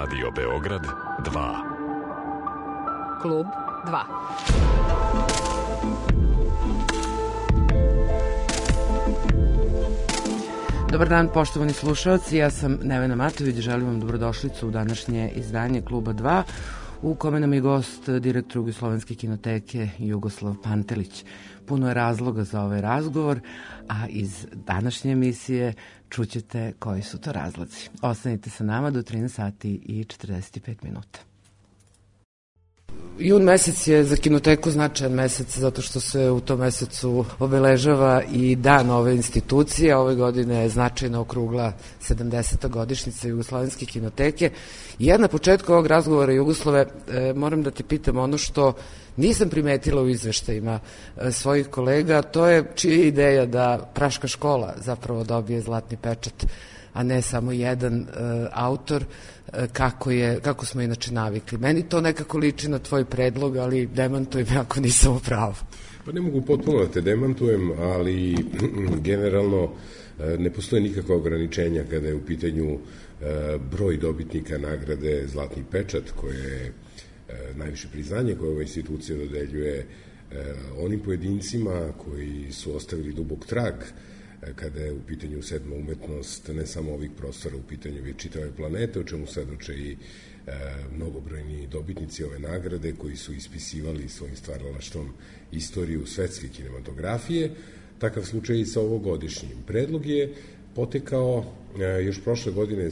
Radio Beograd 2. Klub 2. Dobar dan, poštovani slušalci, ja sam Nevena Matović, želim vam dobrodošlicu u današnje izdanje Kluba 2, u kome nam je gost direktor Jugoslovenske kinoteke Jugoslav Pantelić. Puno je razloga za ovaj razgovor, a iz današnje emisije čućete koji su to razlozi. Ostanite sa nama do 13 sati i 45 minuta. Jun mesec je za kinoteku značajan mesec zato što se u tom mesecu obeležava i dan ove institucije. Ove godine je značajno okrugla 70. godišnjica Jugoslovenske kinoteke. I ja na početku ovog razgovora, Jugoslave, moram da te pitam ono što nisam primetila u izveštajima svojih kolega, to je čija je ideja da Praška škola zapravo dobije zlatni pečat, a ne samo jedan autor, kako smo inače navikli. Meni to nekako liči na tvoj predlog, ali demantuj me ako nisam u pravu. Pa ne mogu potpuno da te demantujem, ali generalno ne postoje nikakva ograničenja kada je u pitanju broj dobitnika nagrade Zlatni pečat, koje je najviše priznanje koje ova institucija dodeljuje onim pojedincima koji su ostavili dubok trag kada je u pitanju sedma umetnost, ne samo ovih prostora, u pitanju je čitave planete, o čemu svedoče i mnogobrojni dobitnici ove nagrade koji su ispisivali svojim stvaralaštvom istoriju svetske kinematografije. Takav slučaj i sa ovogodišnjim. Predlog je potekao još prošle godine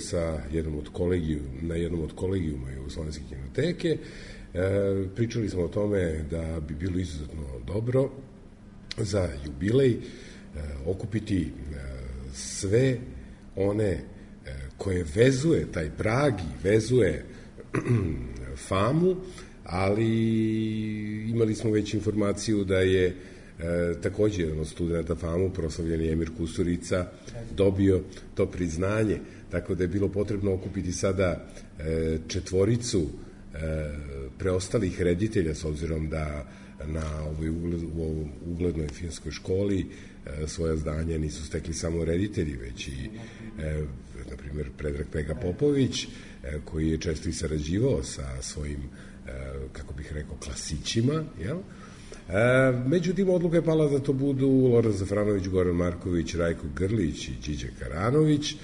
na jednom od kolegijuma Jugoslovenske kinoteke. Pričali smo o tome da bi bilo izuzetno dobro za jubilej okupiti sve one koje vezuje taj prag i vezuje famu, ali imali smo već informaciju da je takođe jedan od studenta famu, proslavljeni Emir Kusturica, dobio to priznanje, tako da je bilo potrebno okupiti sada četvoricu preostalih reditelja, s obzirom da na ovoj uglednoj filmskoj školi svoja zdanja nisu stekli samo reditelji, već i, na primjer, Predrag Pega Popović, koji je često i sarađivao sa svojim, kako bih rekao, klasićima, jel? Međutim, odluka je pala da to budu Loran Zafranović, Goran Marković, Rajko Grlić i Điđe Karanović,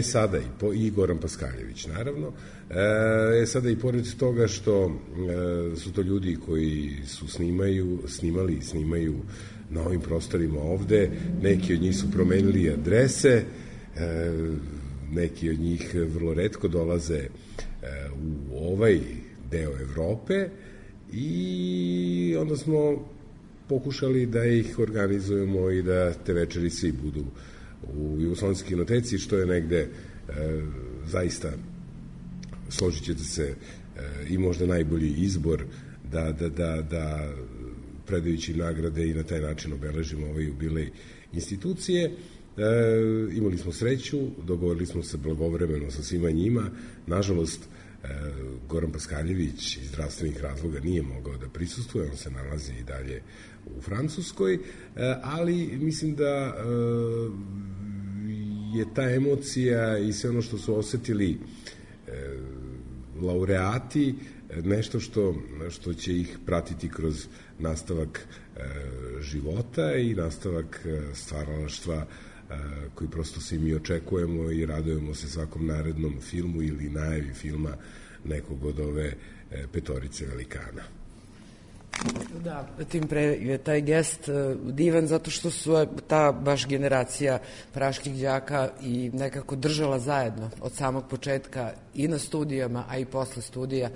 sada i Goran Paskaljević, naravno. Sada i pored toga što su to ljudi koji su snimali i snimaju na ovim prostorima ovde, neki od njih su promenili adrese, neki od njih vrlo retko dolaze u ovaj deo Evrope i onda smo pokušali da ih organizujemo i da te večeri svi budu u Jugoslovenskoj kinoteci, što je negde zaista, složit ćete se, i možda najbolji izbor da predajući nagrade i na taj način obeležimo ovaj jubilej institucije. Imali smo sreću, dogovorili smo se blagovremeno sa svima njima. Nažalost, Goran Paskaljević iz zdravstvenih razloga nije mogao da prisustvuje, on se nalazi i dalje u Francuskoj, ali mislim da je ta emocija i sve ono što su osetili laureati nešto što će ih pratiti kroz nastavak života i nastavak stvaralaštva koji prosto svi mi očekujemo i radujemo se svakom narednom filmu ili najavi filma nekog od ove petorice velikana. Da, tim pre je taj gest divan zato što su ta baš generacija praških đaka i nekako držala zajedno od samog početka i na studijama, a i posle studija.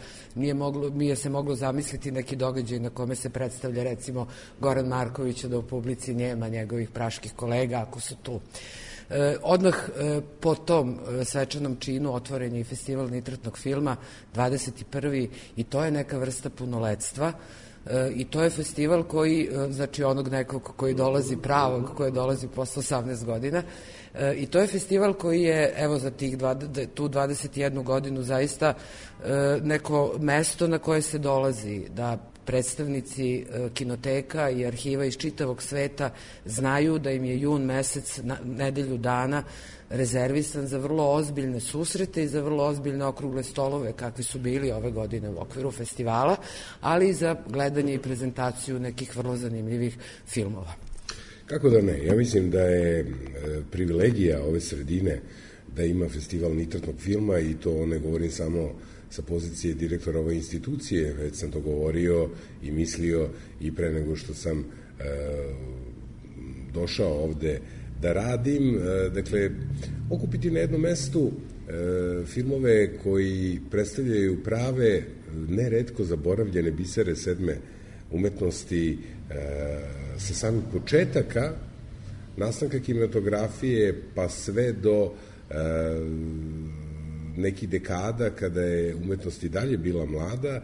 Nije se moglo zamisliti neki događaj na kome se predstavlja recimo Goran Marković, da u publici nema njegovih praških kolega ako su tu. Odmah po tom svečanom činu otvoren je i festival nitratnog filma 21. i to je neka vrsta punoletstva. I to je festival koji, znači onog nekog koji dolazi pravog, koji dolazi posle 18 godina, i to je festival koji je, evo, za tu 21 godinu zaista neko mesto na koje se dolazi, da predstavnici kinoteka i arhiva iz čitavog sveta znaju da im je jun mesec, nedelju dana, rezervisan za vrlo ozbiljne susrete i za vrlo ozbiljne okrugle stolove kakvi su bili ove godine u okviru festivala, ali i za gledanje i prezentaciju nekih vrlo zanimljivih filmova. Kako da ne? Ja mislim da je privilegija ove sredine da ima festival nitratnog filma i to ne govorim samo sa pozicije direktora ove institucije, već sam to govorio i mislio i pre nego što sam došao ovde da radim. Dakle, okupiti na jednom mestu filmove koji predstavljaju prave, neretko zaboravljene bisere sedme umetnosti sa samih početaka nastanka kinematografije pa sve do nekih dekada kada je umetnost i dalje bila mlada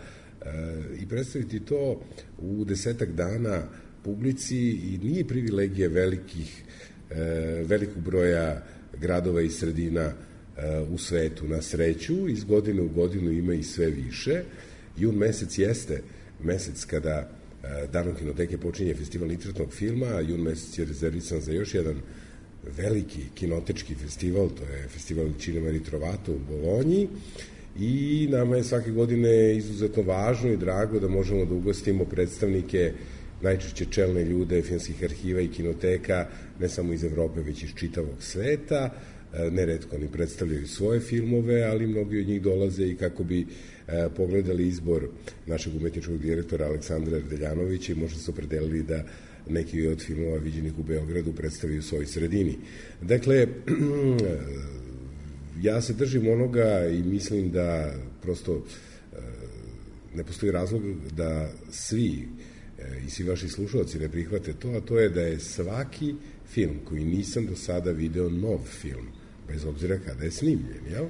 i predstaviti to u 10 dana publici i nije privilegija velikog broja gradova i sredina u svetu. Na sreću, iz godine u godinu ima i sve više. Jun mesec jeste mesec kada Danom kinoteke počinje festival nitratnog filma, a jun mesec je rezervisan za još jedan veliki kinotečki festival, to je festival Cinema Ritrovato u Bolonji, i nama je svake godine izuzetno važno i drago da možemo da ugostimo predstavnike, najčešće čelne ljude filmskih arhiva i kinoteka, ne samo iz Evrope, već iz čitavog sveta. Neretko oni predstavljaju svoje filmove, ali mnogi od njih dolaze i kako bi pogledali izbor našeg umetničkog direktora Aleksandra Erdeljanovića i možda se opredelili da neki od filmova viđenih u Beogradu predstavljaju u svojoj sredini. Dakle, ja se držim onoga i mislim da prosto ne postoji razlog da svi i svi vaši slušalci ne prihvate to, a to je da je svaki film koji nisam do sada video nov film, bez obzira kada je snimljen, jel?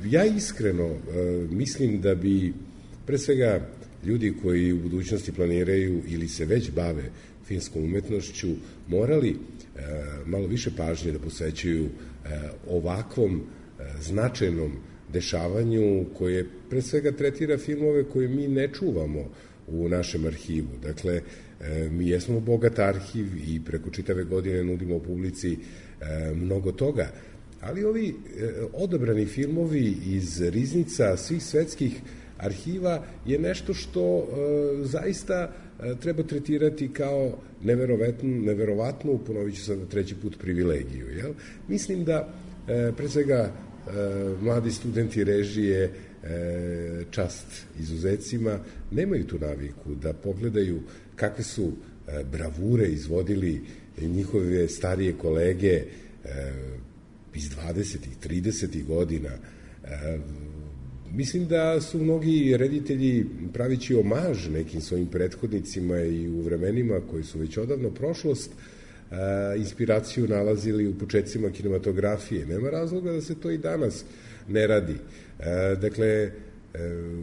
Ja iskreno mislim da bi pre svega ljudi koji u budućnosti planiraju ili se već bave filmskom umetnošću morali malo više pažnje da posvećuju ovakvom značajnom dešavanju koje pre svega tretira filmove koje mi ne čuvamo u našem arhivu. Dakle, mi jesmo bogat arhiv i preko čitave godine nudimo publici mnogo toga, ali ovi odabrani filmovi iz riznica svih svetskih arhiva je nešto što zaista treba tretirati kao neverovatnu, ponovit ću sad treći put, privilegiju. Jel? Mislim da pre svega mladi studenti režije, čast izuzecima, nemaju tu naviku da pogledaju kakve su bravure izvodili njihove starije kolege iz 20. 30. godina. Mislim da su mnogi reditelji, pravići omaž nekim svojim prethodnicima i u vremenima koji su već odavno prošlost, inspiraciju nalazili u početcima kinematografije. Nema razloga da se to i danas ne radi. Dakle,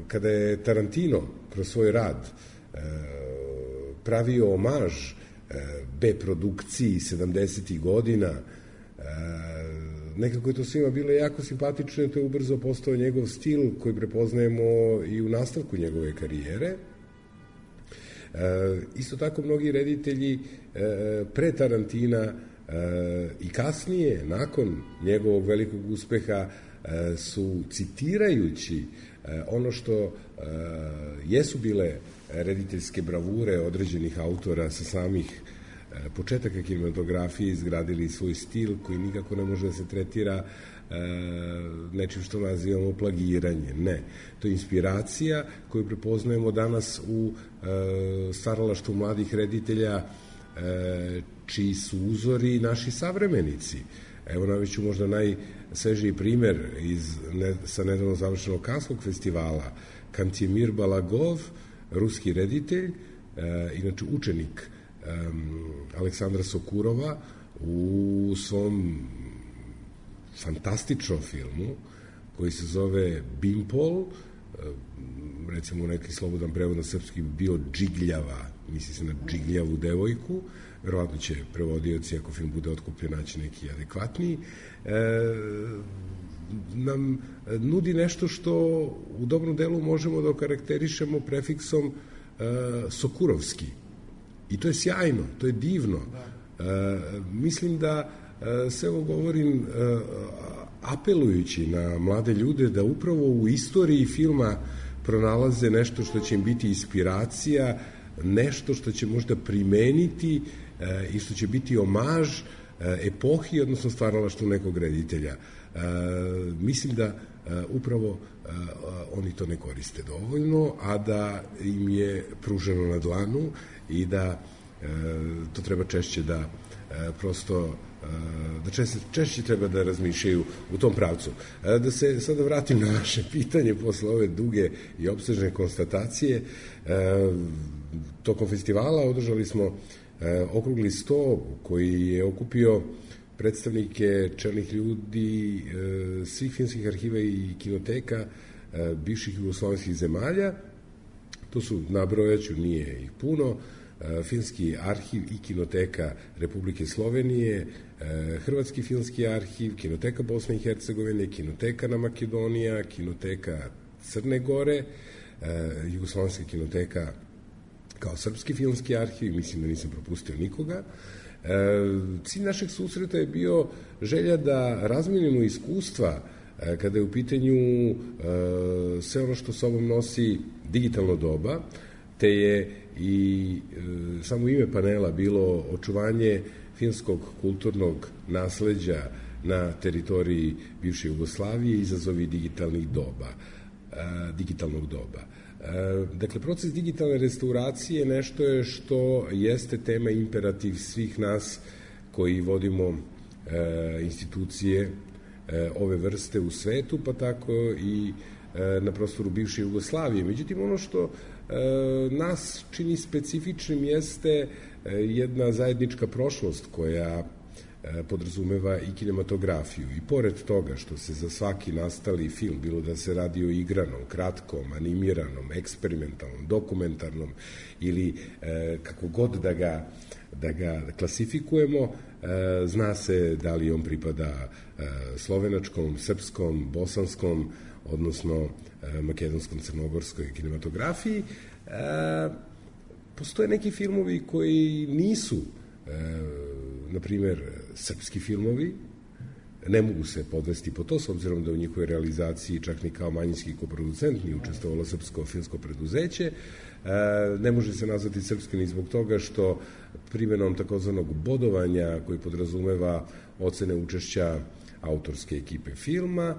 kada je Tarantino kroz svoj rad pravio omaž B-produkciji 70. godina, nekako je to svima bilo jako simpatično, to je ubrzo postao njegov stil koji prepoznajemo i u nastavku njegove karijere. Isto tako mnogi reditelji pre Tarantina i kasnije, nakon njegovog velikog uspeha, su citirajući ono što jesu bile rediteljske bravure određenih autora sa samih početaka kinematografije izgradili svoj stil koji nikako ne može da se tretira nečim što nazivamo plagiranje. Ne. To je inspiracija koju prepoznajemo danas u stvaralaštvu mladih reditelja čiji su uzori naši savremenici. Evo naviću možda najsvežiji primer sa nedavno završenog Kanskog festivala. Kantemir Balagov, ruski reditelj, inače učenik Aleksandra Sokurova, u svom fantastičnom filmu koji se zove Bimpol, recimo neki slobodan prevod na srpski bi bio Džigljava, misli se na Džigljavu devojku, verovatno će prevodioci, ako film bude otkupljen, naći neki adekvatniji. nam nudi nešto što u dobrom delu možemo da okarakterišemo prefiksom Sokurovski. I to je sjajno, to je divno. Mislim da sve ovo govorim apelujući na mlade ljude da upravo u istoriji filma pronalaze nešto što će im biti inspiracija, nešto što će možda primeniti i što će biti omaž epohi, odnosno stvaralaštvu nekog reditelja. Mislim da upravo oni to ne koriste dovoljno, a da im je pruženo na dlanu i da to treba češće da prosto da češće treba da razmišljaju u tom pravcu. Da se sada vratim na vaše pitanje posle ove duge i opsežne konstatacije. Tokom festivala održali smo okrugli sto koji je okupio predstavnike čelnih ljudi svih filmskih arhiva i kinoteka bivših jugoslovenskih zemalja. To su, nabrojaću, nije ih puno, Filmski arhiv i kinoteka Republike Slovenije, Hrvatski filmski arhiv, kinoteka Bosne i Hercegovine, kinoteka na Makedonija, kinoteka Crne Gore, Jugoslovenska kinoteka kao Srpski filmski arhiv, mislim da nisam propustio nikoga. Cilj našeg susreta je bio želja da razmenimo iskustva kada je u pitanju sve ono što sobom nosi digitalno doba, te je i samo ime panela bilo očuvanje filmskog kulturnog nasleđa na teritoriji bivše Jugoslavije, izazovi digitalnog doba. Dakle, proces digitalne restauracije nešto je što jeste tema imperativ svih nas koji vodimo institucije ove vrste u svetu, pa tako i na prostoru bivše Jugoslavije. Međutim, ono što nas čini specifičnim jeste jedna zajednička prošlost koja podrazumeva i kinematografiju. I pored toga što se za svaki nastali film, bilo da se radi o igranom, kratkom, animiranom, eksperimentalnom, dokumentarnom ili kako god da ga klasifikujemo, zna se da li on pripada slovenačkom, srpskom, bosanskom, odnosno makedonskom, crnogorskoj kinematografiji. Postoje neki filmovi koji nisu, na primer, srpski filmovi, ne mogu se podvesti po to, s obzirom da u njihovoj realizaciji čak ni kao manjinski koproducent nije učestvovalo srpsko filmsko preduzeće. Ne može se nazvati srpski ni zbog toga što primenom takozvanog bodovanja koji podrazumeva ocene učešća autorske ekipe filma,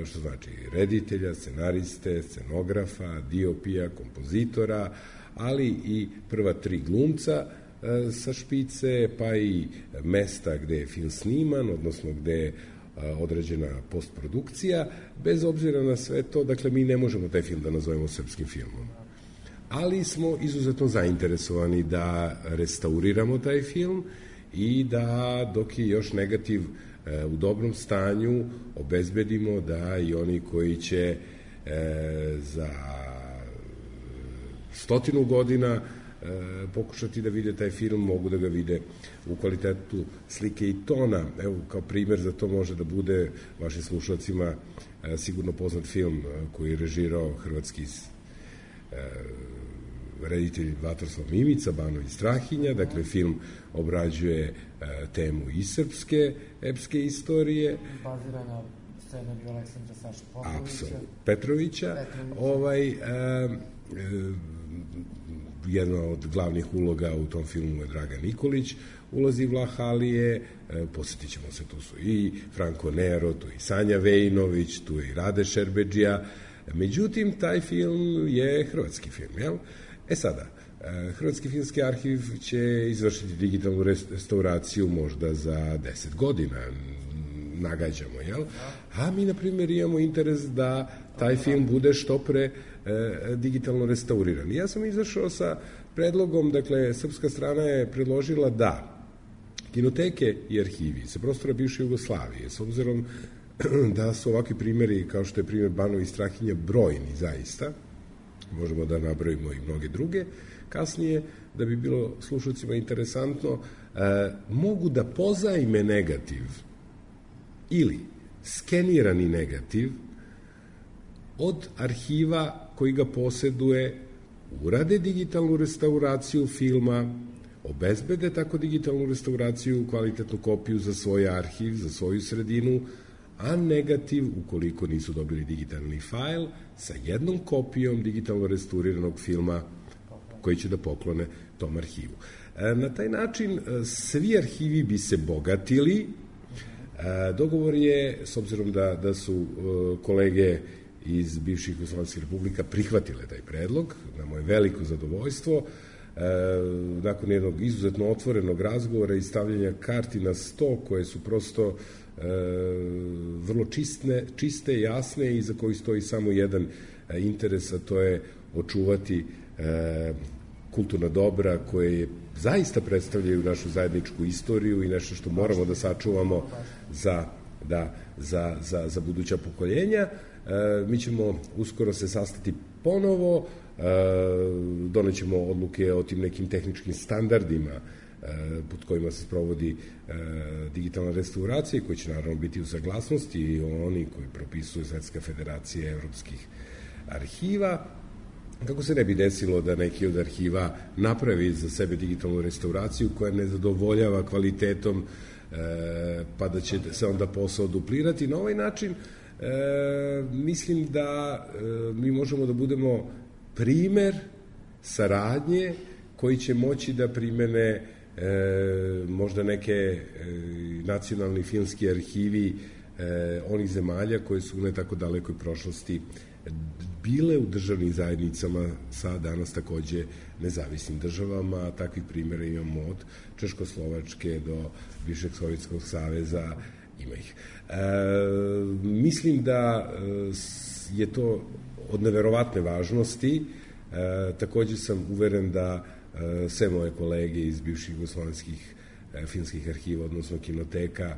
što znači reditelja, scenariste, scenografa, diopija, kompozitora, ali i prva 3 glumca sa špice, pa i mesta gde je film sniman, odnosno gde je određena postprodukcija. Bez obzira na sve to, dakle, mi ne možemo taj film da nazovemo srpskim filmom. Ali smo izuzetno zainteresovani da restauriramo taj film i da, dok je još negativ u dobrom stanju, obezbedimo da i oni koji će za 100 godina pokušati da vide taj film, mogu da ga vide u kvalitetu slike i tona. Evo, kao primer za to može da bude vašim slušalcima sigurno poznat film koji je režirao hrvatski reditelj Vatroslav Mimica, Banović Strahinja. Dakle, film obrađuje temu i srpske epske istorije. Bazira na scenariju Aleksandra Saša Petrovića. Jedna od glavnih uloga u tom filmu je Dragan Nikolić, ulazi Vlah Alije, posjetit ćemo se, tu su i Franko Nero, tu i Sanja Vejinović, tu je i Rade Šerbedžija. Međutim, taj film je hrvatski film, jel? Sada, Hrvatski filmski arhiv će izvršiti digitalnu restauraciju možda za 10 godina, nagađamo, jel? A mi, na primjer, imamo interes da taj film bude što pre digitalno restauriran. Ja sam izašao sa predlogom, dakle, srpska strana je predložila da kinoteke i arhivi sa prostora bivše Jugoslavije, s obzirom da su ovakvi primjeri, kao što je primjer Banović Strahinja, brojni zaista, možemo da nabrojimo i mnoge druge, kasnije, da bi bilo slušalcima interesantno, mogu da pozajme negativ ili skenirani negativ od arhiva koji ga poseduje, urade digitalnu restauraciju filma, obezbede tako digitalnu restauraciju, kvalitetnu kopiju za svoj arhiv, za svoju sredinu, a negativ, ukoliko nisu dobili digitalni fajl, sa jednom kopijom digitalno restauriranog filma koji će da poklone tom arhivu. Na taj način svi arhivi bi se bogatili. Dogovor je, s obzirom da su kolege iz bivših Jugoslovenskih republika prihvatile taj predlog, na moje veliko zadovoljstvo, nakon jednog izuzetno otvorenog razgovora i stavljanja karti na sto koje su prosto vrlo čiste, jasne i za koji stoji samo jedan interes, a to je očuvati kulturna dobra koje zaista predstavljaju našu zajedničku istoriju i nešto što moramo da sačuvamo za buduća pokoljenja. Mi ćemo uskoro se sastati ponovo, donećemo odluke o tim nekim tehničkim standardima pod kojima se sprovodi digitalna restauracija, koji će naravno biti u saglasnosti i oni koji propisuju Svetska federacija evropskih arhiva, kako se ne bi desilo da neki od arhiva napravi za sebe digitalnu restauraciju koja ne zadovoljava kvalitetom, pa da će se onda posao duplirati. Na ovaj način mislim da mi možemo da budemo primer saradnje koji će moći da primene možda neke nacionalni filmski arhivi onih zemalja koje su u ne tako dalekoj prošlosti bile u državnim zajednicama sa danas takođe nezavisnim državama, a takvih primjera imamo od Češkoslovačke do bivšeg Sovjetskog saveza, ima ih. Mislim da je to od neverovatne važnosti. Takođe sam uveren da sve moje kolege iz bivših jugoslovenskih filmskih arhiva, odnosno kinoteka,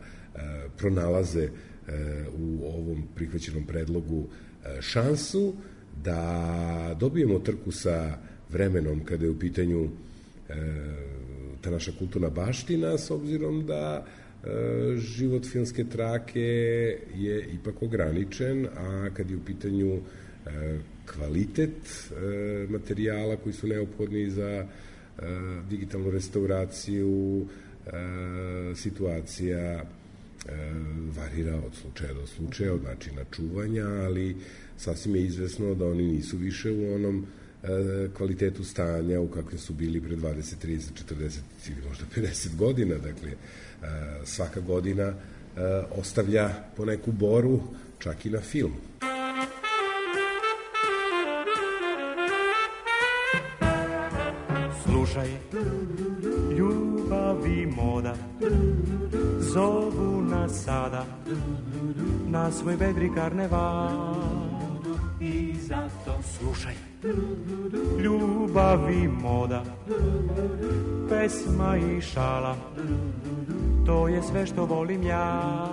pronalaze u ovom prihvaćenom predlogu šansu da dobijemo trku sa vremenom kada je u pitanju ta naša kulturna baština, s obzirom da život filmske trake je ipak ograničen, a kad je u pitanju kvalitet materijala koji su neophodni za digitalnu restauraciju, situacija varira od slučaja do slučaja, od načina čuvanja, ali sasvim je izvesno da oni nisu više u onom kvalitetu stanja u kakvim su bili pre 20, 30, 40 ili možda 50 godina. Dakle, svaka godina ostavlja po neku boru, čak i na filmu. Slušaj, ljubav i moda zovu nas sada na svoj vedri karneval. I zato slušaj, ljubav i moda, pesma i šala, to je sve što volim ja.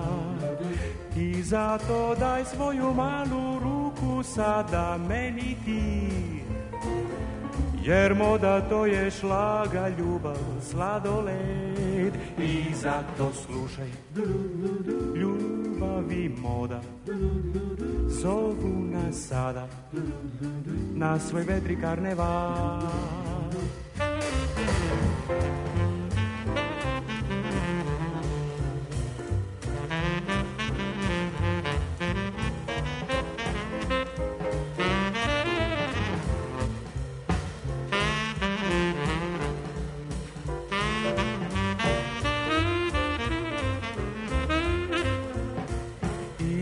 I zato daj svoju malu ruku sada meni ti, jer moda to je šlaga, ljubav, sladoled. I zato slušaj, ljubav i moda zovu nas sada na svoj vedri karneval.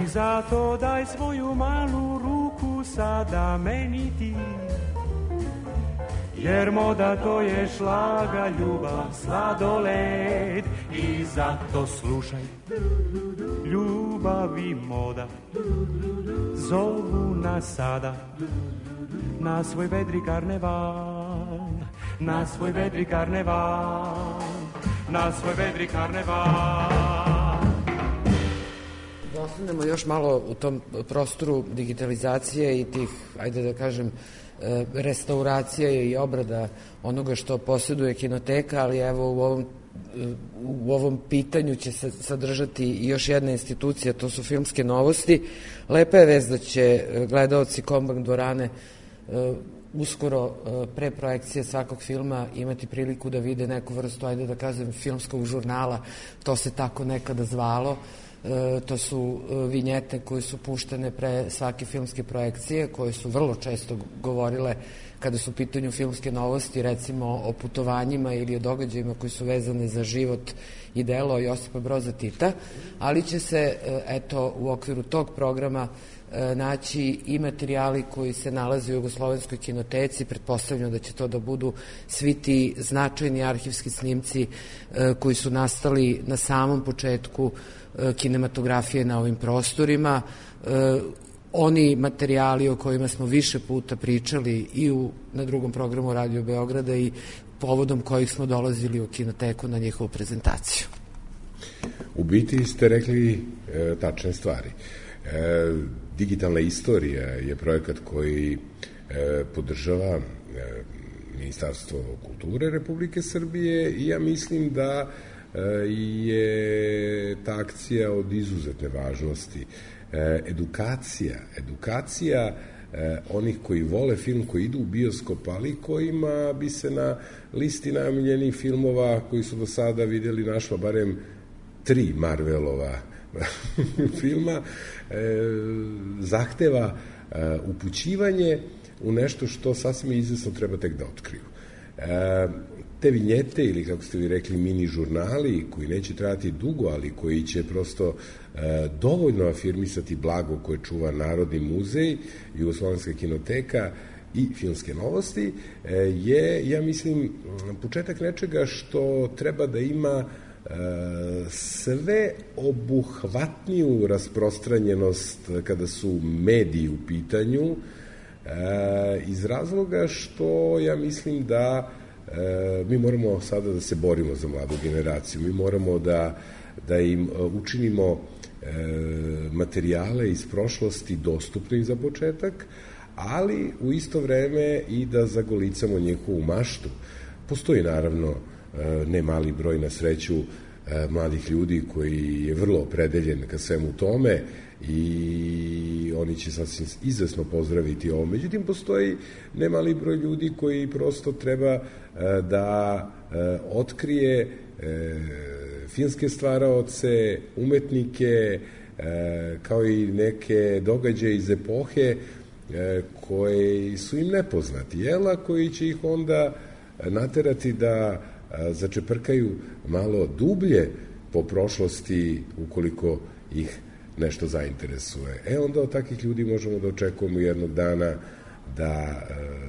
Zato daj svoju malu ruku sada meni ti, jer moda to je šlaga, ljubav, sladoled. I zato slušaj, ljubav i moda zovu nas sada na svoj vedri karneval, na svoj vedri karneval, na svoj vedri karneval. Da ostanemo još malo u tom prostoru digitalizacije i tih, ajde da kažem, restauracije i obrada onoga što posjeduje kinoteka, ali evo u ovom u ovom pitanju će se sadržati i još jedna institucija, to su filmske novosti. Lepa je vest da će gledaoci Kombank dvorane uskoro pre projekcije svakog filma imati priliku da vide neku vrstu, ajde da kažem, filmskog žurnala, to se tako nekada zvalo. To su vinjete koje su puštene pre svake filmske projekcije, koje su vrlo često govorile kada su u pitanju filmske novosti, recimo o putovanjima ili o događajima koji su vezane za život i delo Josipa Broza Tita, ali će se, eto, u okviru tog programa naći i materijali koji se nalaze u Jugoslovenskoj kinoteci. Pretpostavljam da će to da budu svi ti značajni arhivski snimci koji su nastali na samom početku kinematografije na ovim prostorima. Oni materijali o kojima smo više puta pričali i na drugom programu Radio Beograda i povodom kojih smo dolazili u kinoteku na njihovu prezentaciju. U biti ste rekli tačne stvari. Digitalna istorija je projekat koji podržava Ministarstvo kulture Republike Srbije i ja mislim da je ta akcija od izuzetne važnosti. Edukacija onih koji vole film, koji idu u bioskop, ali kojima bi se na listi najomiljenijih filmova koji su do sada videli našlo barem 3 Marvelova filma, zahteva upućivanje u nešto što sasvim izvesno treba tek da otkriju. Te vinjete, ili kako ste vi rekli, mini žurnali, koji neće trajati dugo, ali koji će prosto dovoljno afirmisati blago koje čuva Narodni muzej, Jugoslovenska kinoteka i filmske novosti, je, ja mislim, početak nečega što treba da ima sve obuhvatniju rasprostranjenost kada su mediji u pitanju, iz razloga što ja mislim da mi moramo sada da se borimo za mladu generaciju, mi moramo da im učinimo materijale iz prošlosti dostupnih za početak, ali u isto vreme i da zagolicamo njihovu maštu. Postoji naravno ne mali broj, na sreću, mladih ljudi koji je vrlo opredeljen ka svemu tome i oni će sasvim izvesno pozdraviti ovo. Međutim, postoji ne mali broj ljudi koji prosto treba da otkrije filmske stvaraoce, umetnike, kao i neke događaje iz epohe koji su im nepoznati, jela, koji će ih onda naterati da začeprkaju malo dublje po prošlosti ukoliko ih nešto zainteresuje. Onda od takvih ljudi možemo da očekujemo jednog dana da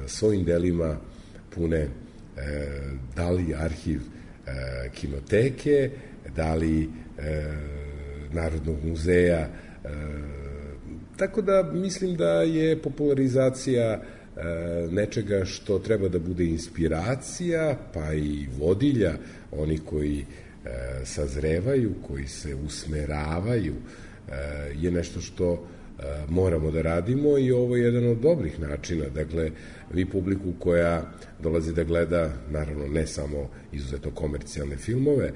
svojim delima pune da li arhiv kinoteke, da li Narodnog muzeja. Tako da mislim da je popularizacija nečega što treba da bude inspiracija, pa i vodilja, oni koji sazrevaju, koji se usmeravaju, je nešto što moramo da radimo i ovo je jedan od dobrih načina. Dakle, vi publiku koja dolazi da gleda, naravno ne samo izuzetno komercijalne filmove,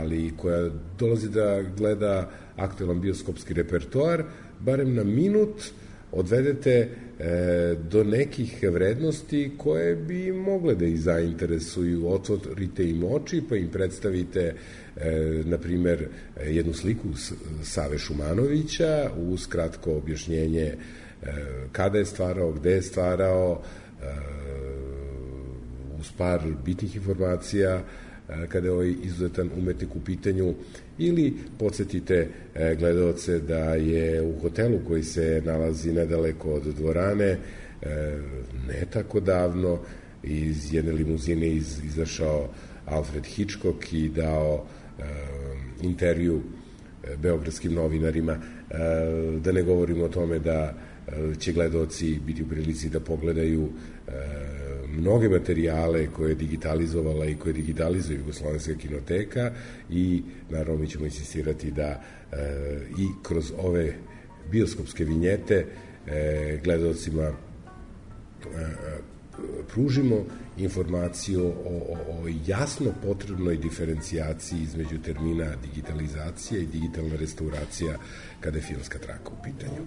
ali koja dolazi da gleda aktuelan bioskopski repertoar, barem na minut odvedete do nekih vrednosti koje bi mogle da ih zainteresuju, otvorite im oči pa im predstavite na primer jednu sliku Save Šumanovića uz kratko objašnjenje kada je stvarao, gde je stvarao, uz par bitnih informacija kada je ovaj izuzetan umetnik u pitanju, ili podsjetite gledaoce da je u hotelu koji se nalazi nedaleko od dvorane ne tako davno iz jedne limuzine izašao Alfred Hitchcock i dao intervju beogradskim novinarima. Da ne govorimo o tome da će gledaoci biti u prilici da pogledaju mnoge materijale koje je digitalizovala i koje digitalizuje Jugoslovenska kinoteka i naravno mi ćemo insistirati da i kroz ove bioskopske vinjete gledaocima pružimo informaciju o jasno potrebnoj diferencijaciji između termina digitalizacija i digitalna restauracija kada je filmska traka u pitanju.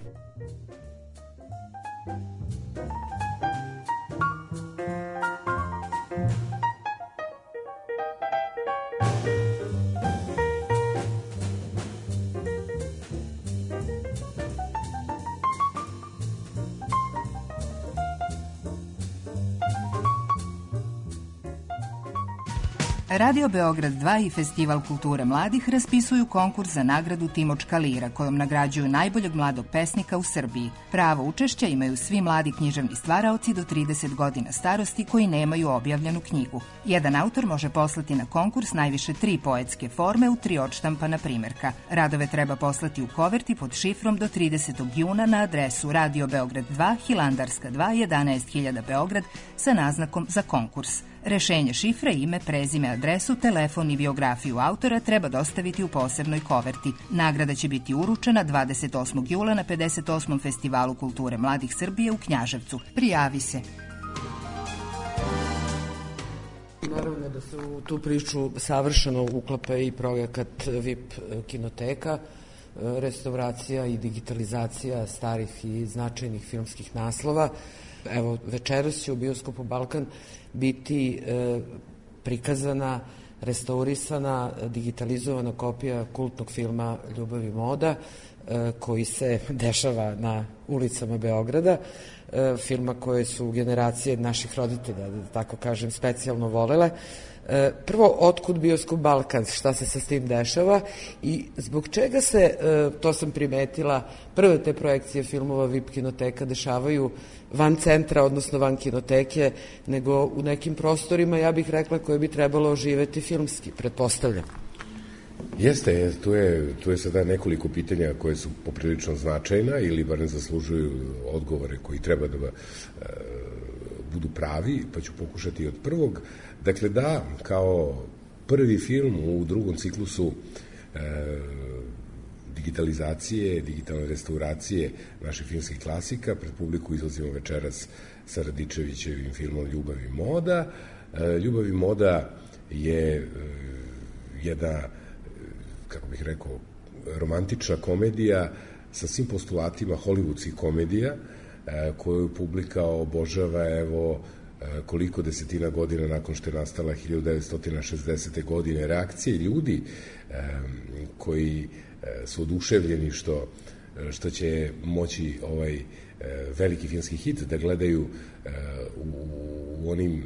Radio Beograd 2 i Festival kulture mladih raspisuju konkurs za nagradu Timočka lira, kojom nagrađuju najboljeg mladog pesnika u Srbiji. Pravo učešća imaju svi mladi književni stvaraoci do 30 godina starosti koji nemaju objavljenu knjigu. Jedan autor može poslati na konkurs najviše 3 poetske forme u 3 odštampana primerka. Radove treba poslati u koverti pod šifrom do 30. juna na adresu Radio Beograd 2, Hilandarska 2, 11.000 Beograd sa naznakom za konkurs. Rešenje šifre, ime, prezime, adresu, telefon i biografiju autora treba dostaviti u posebnoj koverti. Nagrada će biti uručena 28. jula na 58. Festivalu kulture mladih Srbije u Knjaževcu. Prijavi se. Naravno da se u tu priču savršeno uklapa i projekat VIP kinoteka, restauracija i digitalizacija starih i značajnih filmskih naslova. Evo, večeras će u bioskopu Balkan biti prikazana, restaurisana, digitalizovana kopija kultnog filma Ljubav i moda, koji se dešava na ulicama Beograda, filma koje su generacije naših roditelja, da tako kažem, specijalno volele. Prvo, otkud bioskop Balkan, šta se sa tim dešava i zbog čega se, to sam primetila, prve te projekcije filmova VIP kinoteka dešavaju van centra, odnosno van kinoteke, nego u nekim prostorima, ja bih rekla, koje bi trebalo oživeti filmski, pretpostavljam. Jeste, tu je sada nekoliko pitanja koje su poprilično značajna ili bar ne zaslužuju odgovore koji treba da budu pravi, pa ću pokušati od prvog. Dakle, da, kao prvi film u drugom ciklusu digitalizacije, digitalne restauracije naših filmskih klasika, pred publiku izlazimo večeras sa Radičevićevim filmom Ljubav i moda. Ljubav i moda je jedna, kako bih rekao, romantična komedija sa svim postulatima hollywoodskih komedija, koju publika obožava, evo, koliko desetina godina nakon što je nastala 1960. godine. Reakcije ljudi koji su oduševljeni što će moći ovaj veliki filmski hit da gledaju u onim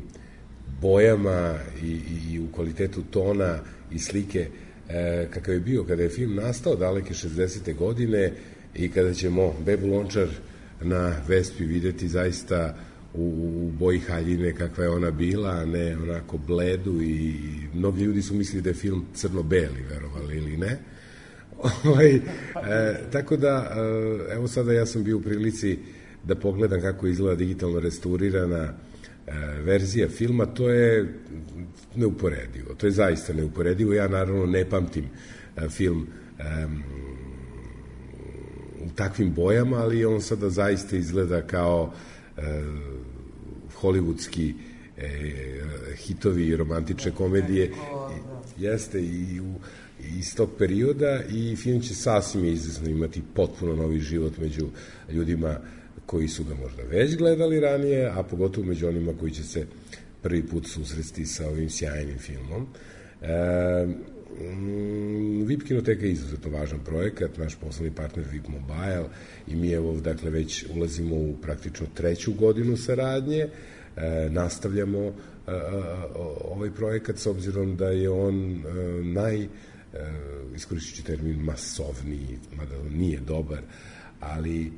bojama i u kvalitetu tona i slike kakav je bio kada je film nastao daleke 60. godine i kada ćemo Bebu Lončar na Vespi videti zaista u boji haljine kakva je ona bila, a ne onako bledu, i mnogi ljudi su mislili da je film crno-beli, verovali ili ne. Tako da, evo sada ja sam bio u prilici da pogledam kako izgleda digitalno restaurirana verzija filma. To je neuporedivo, to je zaista neuporedivo. Ja naravno ne pamtim film u takvim bojama, ali on sada zaista izgleda kao hollywoodski hitovi i romantične komedije. Jeste i iz tog perioda, i film će sasvim izvesno imati potpuno novi život među ljudima koji su ga možda već gledali ranije, a pogotovo među onima koji će se prvi put susresti sa ovim sjajnim filmom. VIP kinoteka je izuzetno važan projekat, naš poslovni partner VIP Mobile, i mi evo, dakle, već ulazimo u praktično 3. godinu saradnje, nastavljamo ovaj projekat s obzirom da je on iskoristit ću termin masovniji, mada nije dobar, ali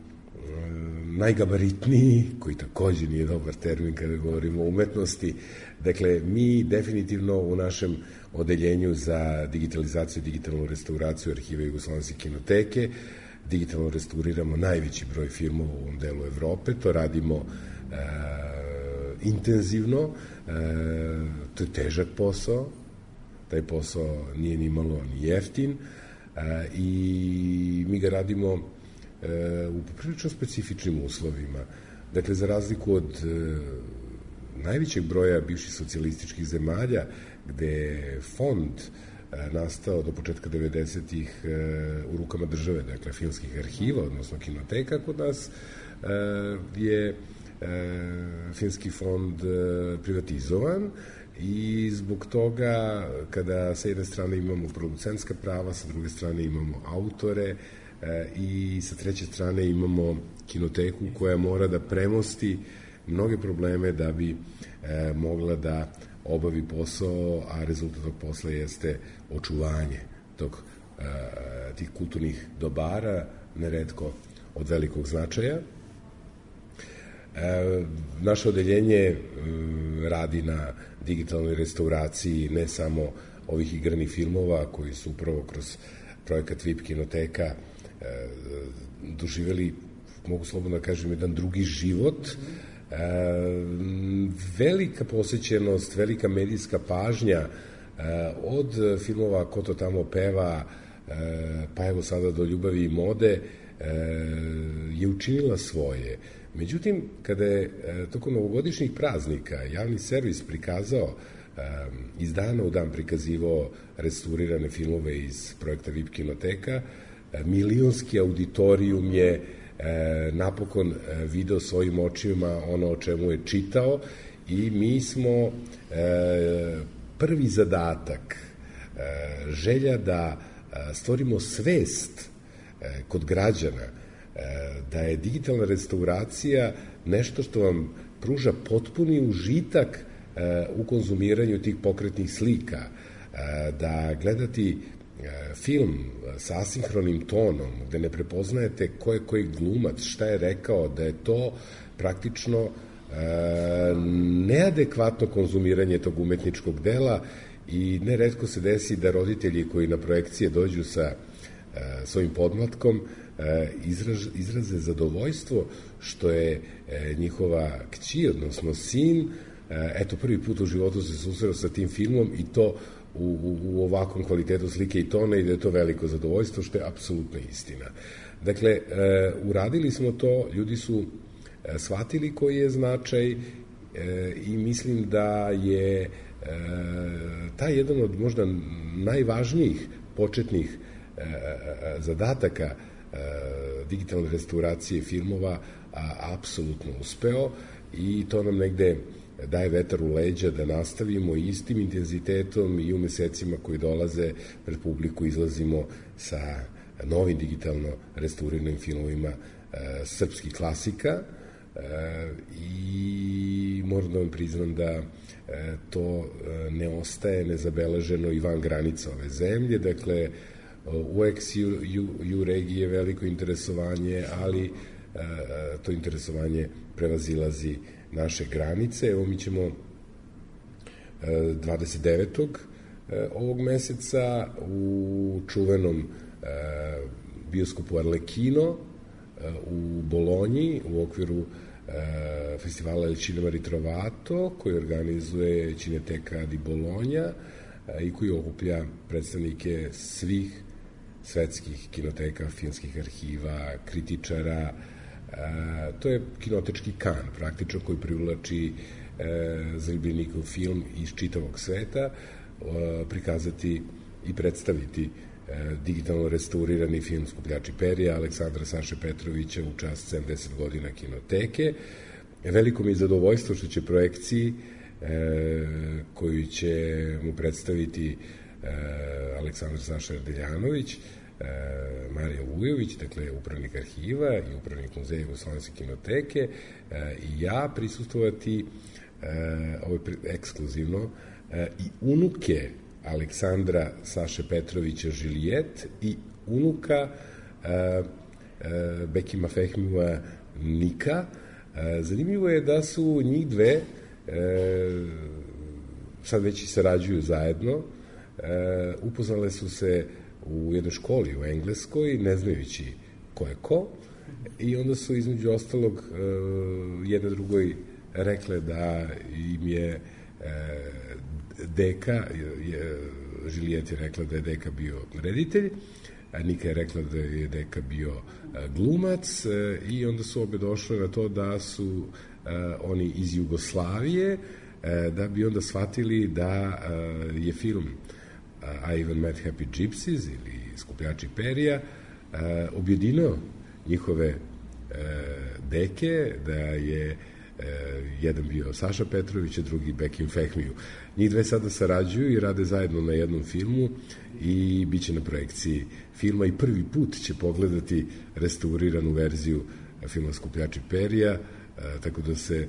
najgabaritniji, koji takođe nije dobar termin kada govorimo o umetnosti. Dakle, mi definitivno u našem odeljenju za digitalizaciju i digitalnu restauraciju Arhiva Jugoslovenske kinoteke digitalno restauriramo najveći broj filmova u ovom delu Evrope. To radimo intenzivno, to je težak posao, taj posao nije ni malo ni jeftin, i mi ga radimo u prilično specifičnim uslovima. Dakle, za razliku od najvećeg broja bivših socijalističkih zemalja, gde je fond nastao do početka 90-ih u rukama države, dakle filmskih arhiva, odnosno kinoteka, kod nas je filmski fond privatizovan i zbog toga kada sa jedne strane imamo producentska prava, sa druge strane imamo autore i sa treće strane imamo kinoteku koja mora da premosti mnoge probleme da bi mogla da obavi posao, a rezultat tog posla jeste očuvanje tih kulturnih dobara, neretko od velikog značaja. Naše odeljenje radi na digitalnoj restauraciji ne samo ovih igranih filmova koji su upravo kroz projekat VIP kinoteka doživeli, mogu slobodno da kažem, jedan drugi život. Velika posećenost, velika medijska pažnja od filmova Ko to tamo peva, pa evo sada do Ljubavi i mode, je učinila svoje. Međutim, kada je tokom novogodišnjih praznika javni servis prikazao, iz dana u dan prikazivao restaurirane filmove iz projekta VIP kinoteka, milionski auditorijum je napokon video svojim očima ono o čemu je čitao i mi smo prvi zadatak, želja da stvorimo svest kod građana da je digitalna restauracija nešto što vam pruža potpuni užitak u konzumiranju tih pokretnih slika, da gledati film sa asinhronim tonom, gde ne prepoznajete ko je koji glumac, šta je rekao, da je to praktično neadekvatno konzumiranje tog umetničkog dela i neretko se desi da roditelji koji na projekcije dođu sa svojim podmlatkom izraze zadovoljstvo što je njihova kći, odnosno sin, eto prvi put u životu se susreo sa tim filmom i to u ovakvom kvalitetu slike i tona i da je to veliko zadovoljstvo, što je apsolutna istina. Dakle, uradili smo to, ljudi su shvatili koji je značaj i mislim da je taj jedan od možda najvažnijih početnih zadataka digitalne restauracije filmova apsolutno uspeo i to nam negde daje vetar u leđa da nastavimo istim intenzitetom i u mesecima koji dolaze pred publiku izlazimo sa novim digitalno restauriranim filmovima srpskih klasika i moram da vam priznam da to ne ostaje nezabeleženo i van granica ove zemlje, dakle u ex-EU regiji je veliko interesovanje, ali to interesovanje prevazilazi naše granice. Evo mi ćemo 29. ovog meseca u čuvenom bioskopu Arlecchino u Bolonji u okviru festivala Il Cinema Ritrovato koji organizuje Cineteka di Bologna i koji okuplja predstavnike svih svetskih kinoteka, filmskih arhiva, kritičara. To je kinotečki kan, praktično, koji privlači zaljubljenikov film iz čitavog sveta, prikazati i predstaviti digitalno restaurirani film Skupljači perja Aleksandra Saše Petrovića u čast 70 godina kinoteke. Veliko mi je zadovoljstvo što će projekciji koju će mu predstaviti Aleksandar Saša Deljanović, Marija Vujović, dakle upravnik arhiva i upravnik muzeja Jugoslovenske kinoteke i ja prisustvovati ekskluzivno i unuke Aleksandra Saše Petrovića Žilijet i unuka Bekima Fehmija Nika. Zanimljivo je da su njih dve sad već i sarađuju zajedno, upoznale su se u jednoj školi u Engleskoj, ne znajući ko je ko, i onda su između ostalog jedna drugoj rekle da im je deka, Žilijet je rekla da je deka bio reditelj, a Nika je rekla da je deka bio glumac i onda su obe došle na to da su oni iz Jugoslavije, da bi onda shvatili da je film I Even Met Happy Gypsies ili Skupljači perija objedinio njihove deke, da je jedan bio Saša Petrović, a drugi Bekim Fehmiju. Njih dve sada sarađuju i rade zajedno na jednom filmu i bit će na projekciji filma i prvi put će pogledati restauriranu verziju filma Skupljači perija, tako da se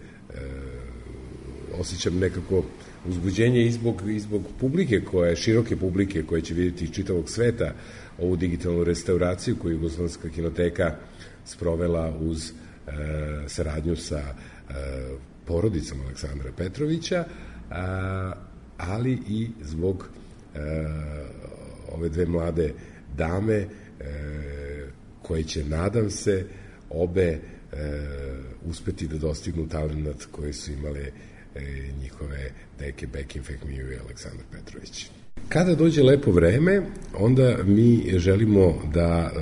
osjećam nekako uzbuđenje i zbog publike, široke publike koja će vidjeti iz čitavog sveta ovu digitalnu restauraciju koju Jugoslovenska kinoteka sprovela uz saradnju sa porodicom Aleksandra Petrovića, ali i zbog ove dve mlade dame koje će, nadam se, obe uspeti da dostignu talenat koje su imale njihove deke Bekim Fehmiju i Aleksandar Petrović. Kada dođe lepo vreme, onda mi želimo da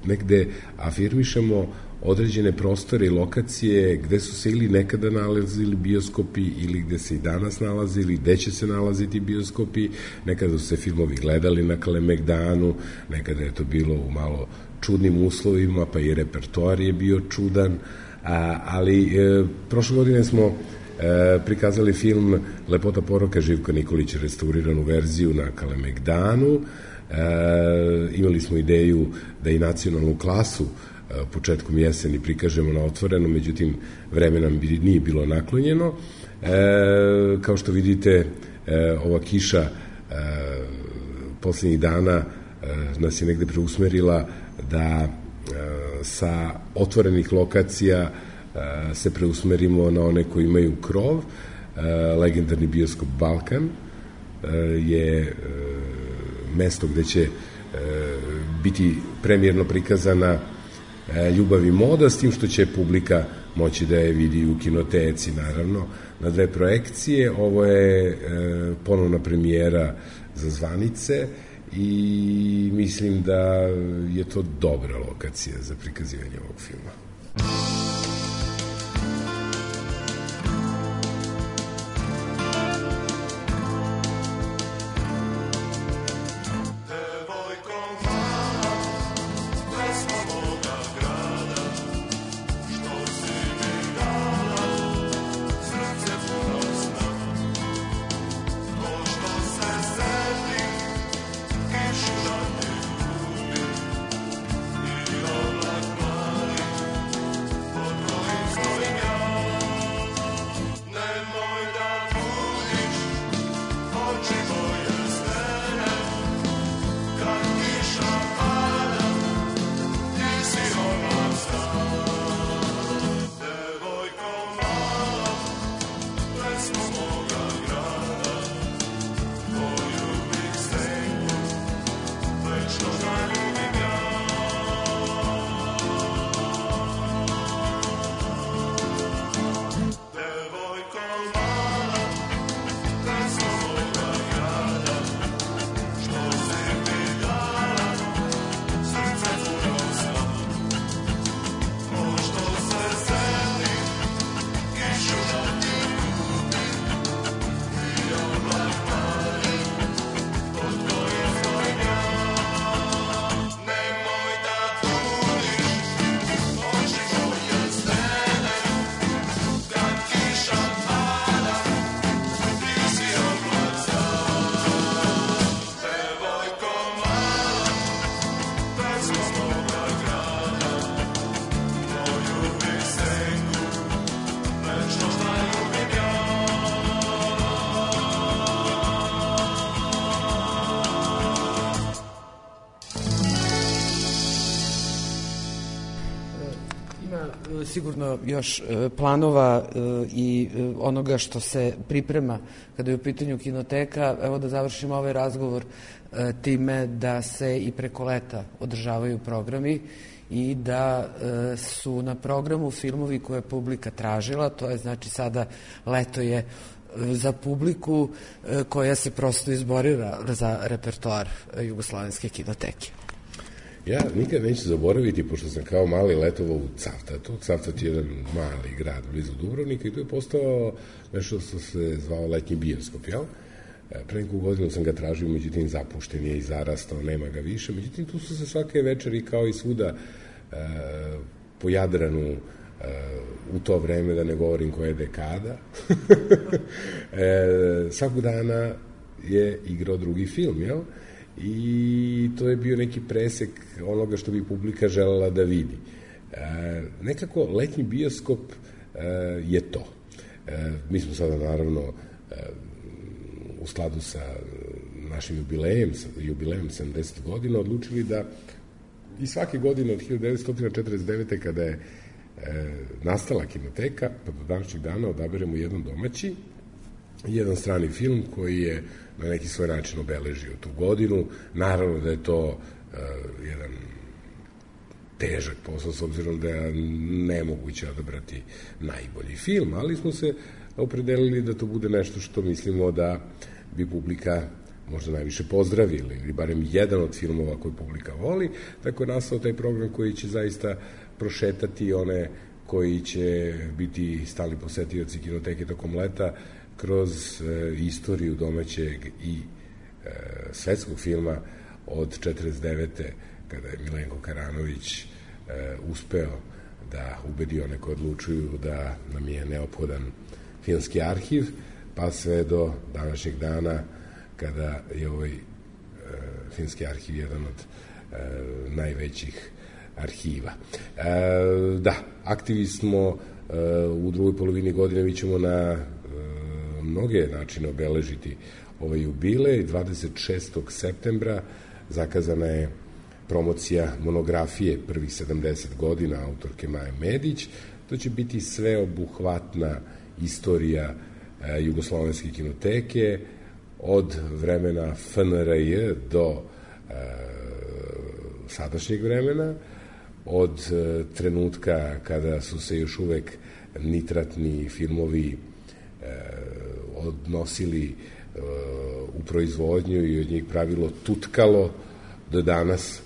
negde afirmišemo određene prostore i lokacije gde su se ili nekada nalazili bioskopi ili gde se i danas nalazi ili gde će se nalaziti bioskopi. Nekada su se filmovi gledali na Kalemegdanu, nekada je to bilo u malo čudnim uslovima, pa i repertoar je bio čudan, ali prošle godine smo prikazali film Lepota poroka Živka Nikolića, restauriranu verziju na Kalemegdanu. Imali smo ideju da i nacionalnu klasu početkom jeseni prikažemo na otvoreno, međutim vreme nam nije bilo naklonjeno. Kao što vidite, ova kiša poslednjih dana nas je negde preusmerila da sa otvorenih lokacija se preusmerimo na one koji imaju krov. Legendarni bioskop Balkan je mesto gde će biti premijerno prikazana Ljubav i moda, s tim što će publika moći da je vidi u kinoteci, naravno, na dve projekcije. Ovo je ponovna premijera za zvanice i mislim da je to dobra lokacija za prikazivanje ovog filma. Sigurno još planova i onoga što se priprema kada je u pitanju kinoteka. Evo da završimo ovaj razgovor time da se i preko leta održavaju programi i da su na programu filmovi koje je publika tražila. To je znači sada leto je za publiku koja se prosto izborila za repertoar Jugoslovenske kinoteke. Ja nikad neću zaboraviti, pošto sam kao mali letovao u Cavtatu. Cavtat je jedan mali grad blizu Dubrovnika i tu je postao nešto što se zvao letnji bioskop, jel? Pre neku godinu sam ga tražio, međutim zapušten je i zarastao, nema ga više. Međutim, tu su se svake večeri kao i svuda po Jadranu u to vreme, da ne govorim koja je dekada, svakog dana je igrao drugi film, jel? I to je bio neki presek onoga što bi publika želela da vidi. Nekako letnji bioskop je to. Mi smo sada naravno u skladu sa našim jubilejem 70 godina odlučili da i svake godine od 1949. kada je nastala kinoteka, pa do današnjeg dana odaberemo jedan domaći i jedan strani film koji je na neki svoj način obeležio tu godinu. Naravno da je to jedan težak posao, s obzirom da je nemoguće odabrati najbolji film, ali smo se opredelili da to bude nešto što mislimo da bi publika možda najviše pozdravili, ili barem jedan od filmova koji publika voli. Tako je nastao taj program koji će zaista prošetati one koji će biti stalni posetioci kinoteke tokom leta kroz istoriju domaćeg i svetskog filma od 49. kada je Milenko Karanović uspeo da ubedi one koji odlučuju da nam je neophodan filmski arhiv, pa sve do današnjeg dana kada je ovaj filmski arhiv jedan od najvećih arhiva. Da, aktivi smo u drugoj polovini godine, mi ćemo na mnoge načine obeležiti ovaj jubilej. 26. septembra zakazana je promocija monografije prvih 70 godina autorke Maje Medić. To će biti sveobuhvatna istorija Jugoslovenske kinoteke od vremena FNRJ do sadašnjeg vremena, od trenutka kada su se još uvek nitratni filmovi odnosili u proizvodnju i od njih pravilo tutkalo, do danas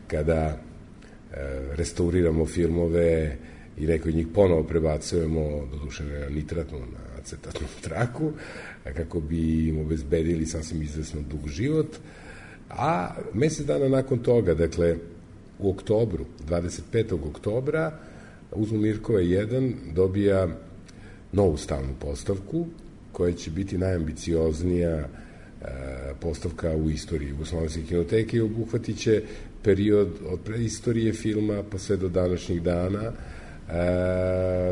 kada restauriramo filmove i neko od njih ponovo prebacujemo, doduše na nitratnu, na acetatnu traku, kako bi im obezbedili sasvim izvesno dug život. A mesec dana nakon toga, dakle u oktobru, 25. oktobra, Uzmo Mirkova 1 dobija novu stalnu postavku koja će biti najambicioznija postavka u istoriji Jugoslovenske kinoteke i obuhvatit će period od preistorije filma pa sve do današnjih dana.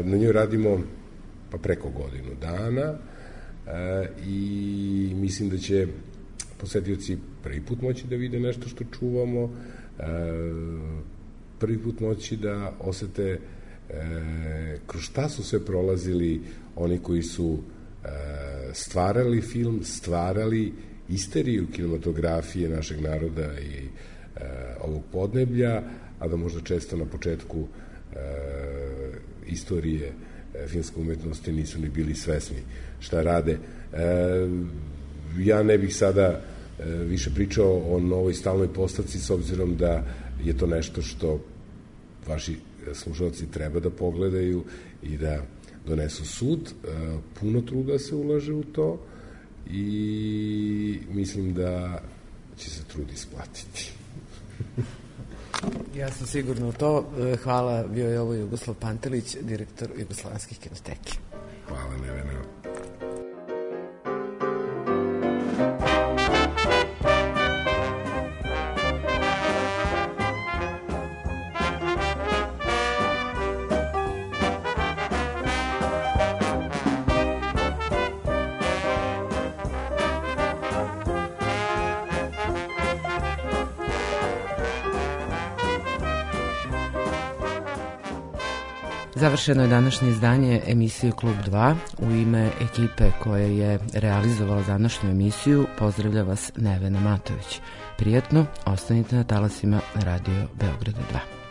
Na njoj radimo pa preko godinu dana i mislim da će posetioci prvi put moći da vide nešto što čuvamo, prvi put moći da osete kroz šta su sve prolazili oni koji su stvarali film, stvarali isteriju kinematografije našeg naroda i ovog podneblja, a da možda često na početku istorije filmske umetnosti nisu ni bili svesni šta rade. Ja ne bih sada više pričao o novoj stalnoj postavci, s obzirom da je to nešto što vaši slušalci treba da pogledaju i da donesu sud. Puno truda se ulaže u to i mislim da će se trud isplatiti. Ja sam sigurno u to. Hvala, bio je ovo Jugoslav Pantelić, direktor Jugoslovenskih kinoteke. Hvala, Nevena. Završeno je današnje izdanje emisije Klub 2. U ime ekipe koja je realizovala današnju emisiju pozdravlja vas Nevena Matović. Prijetno, ostanite na talasima Radio Beograda 2.